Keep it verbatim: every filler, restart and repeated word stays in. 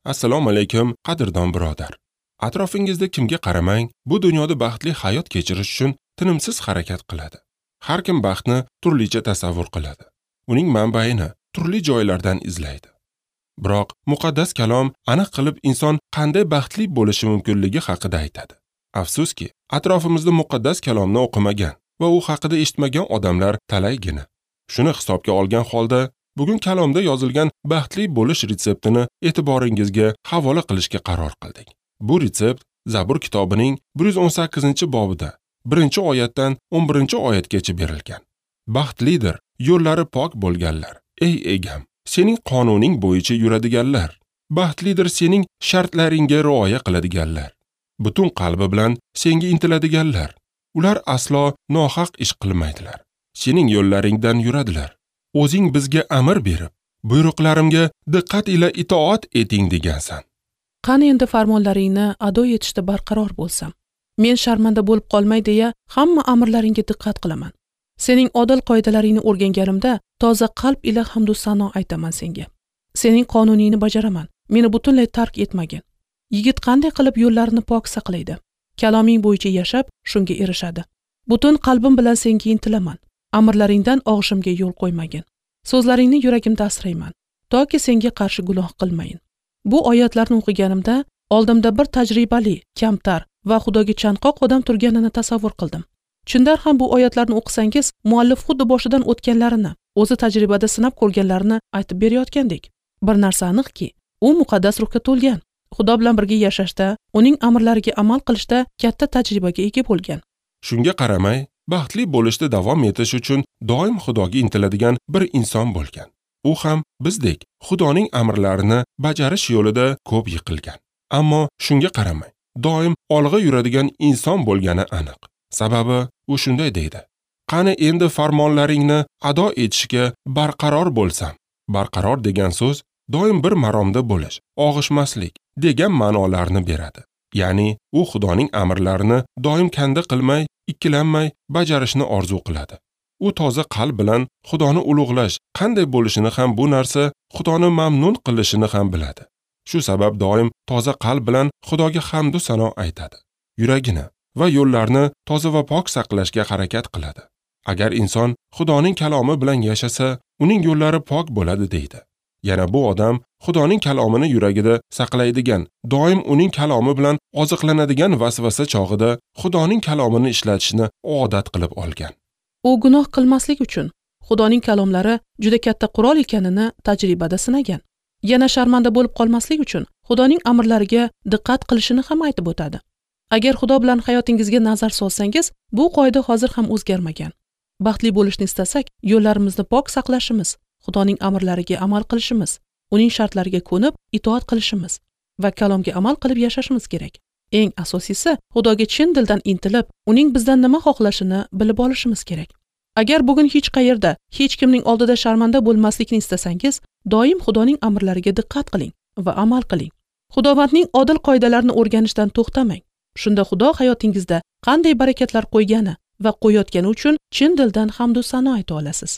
Assalomu alaykum, qadrdon birodar. Atrofingizda kimga qaramang, bu dunyoda baxtli hayot kechirish uchun tinimsiz harakat qiladi. Har kim baxtni turlicha tasavvur qiladi. Uning manbaini turli joylardan izlaydi. Biroq muqaddas kalom aniq qilib inson qanday baxtli bo'lishi mumkinligi haqida aytadi. Afsuski, atrofimizda muqaddas kalomni o'qimagan va u haqida eshitmagan odamlar talaygina. Shuni hisobga olgan holda bugun kalomda yozilgan baxtli bo'lish retseptini e'tiboringizga havola qilishga qaror qildik. Bu retsept Zabur kitobining bir yuz o'n sakkizinchi bobida birinchi oyatdan o'n birinchi oyatgacha berilgan. Baxtlidir yo'llari pok bo'lganlar, ey egam, sening qonuning bo'yicha yuradiganlar. Baxtlidir sening shartlaringga rioya qiladiganlar. Butun qalbi bilan senga intiladiganlar. Ular aslo nohaq ish qilmaydilar. Sening yo'llaringdan yuradilar. O'zing bizga amr berib, buyruqlarimga diqqat ila itoat eting degansan. Qani endi farmonlaringni ado etishda barqaror bo'lsam, men sharmanda bo'lib qolmay deya hamma amrlaringga diqqat qilaman. Sening odil qoidalaringni o'rganganimda toza qalb ila hamd va sano aytaman senga. Sening qonuningni bajaraman. Meni butunlay tark etmagin. Yigit qanday qilib yo'llarini pok saqlaydi? Kaloming bo'yicha yashab, shunga erishadi. Butun qalbim bilan senga intilaman. Amrlaringdan og'ishimga yo'l qo'ymagin. So'zlaringni yuragimda asrayman, toki senga qarshi gunoh qilmayin. Bu oyatlarni o'qiganimda oldimda bir tajribali, kamtar va Xudoga chanqoq odam turganini tasavvur qildim. Chindan ham bu oyatlarni o'qisangiz, muallif xuddi boshidan o'tganlarini, o'zi tajribada sinab ko'rganlarini aytib berayotgandek. Bir narsa aniqki, u muqaddas ruhga to'lgan, Xudo bilan birga yashashda, uning amrlariga amal qilishda katta tajribaga ega bo'lgan. Shunga qaramay, baxtli bo'lishda davom etish uchun doim Xudoga intiladigan bir inson bo'lgan. U ham bizdek Xudoning amrlarini bajarish yo'lida ko'p yiqilgan. Ammo shunga qaramay, doim olg'a yuradigan inson bo'lgani aniq. Sababi u shunday deydi: Qani endi farmonlaringni ado etishga barqaror bo'lsam. Barqaror degan so'z doim bir maromda bo'lish, og'ishmaslik degan ma'nolarni beradi. Ya'ni u Xudoning amrlarini doim kanda qilmay, ikkilanmay bajarishni orzu qiladi. U toza qalb bilan Xudoni ulug'lash qanday bo'lishini ham, bu narsa Xudoni mamnun qilishini ham biladi. Shu sabab doim toza qalb bilan Xudoga hamd va sano aytadi. Yuragini va yo'llarni toza va pok saqlashga harakat qiladi. Agar inson Xudoning kalomi bilan yashasa, uning yo'llari pok bo'ladi deydi. Yana bu odam Xudoning kalomini yuragida saqlaydigan, doim uning kalomi bilan oziqlanadigan vasvasa chog'ida Xudoning kalomini ishlatishni odat qilib olgan. U gunoh qilmaslik uchun Xudoning kalomlari juda katta qurol ekanini tajribada sinagan. Yana sharmanda bo'lib qolmaslik uchun Xudoning amrlariga diqqat qilishini ham aytib o'tadi. Agar Xudo bilan hayotingizga nazar solsangiz, bu qoida hozir ham o'zgarmagan. Baxtli bo'lishni istasak, yo'llarimizni pok saqlashimiz, Xudoning amrlariga amal qilishimiz, uning shartlariga ko'nib itoat qilishimiz va kalomga amal qilib yashashimiz kerak. Eng asosiysi, Xudoga chin dildan intilib, uning bizdan nima xohlashini bilib olishimiz kerak. Agar bugun hech qayerda, hech kimning oldida sharmanda bo'lmaslikni istasangiz, doim Xudoning amrlariga diqqat qiling va amal qiling. Xudovandning odil qoidalarini o'rganishdan to'xtamang. Shunda Xudo hayotingizda qanday barakatlar qo'ygani va qo'yayotgani uchun chin dildan hamd va sano ayta olasiz.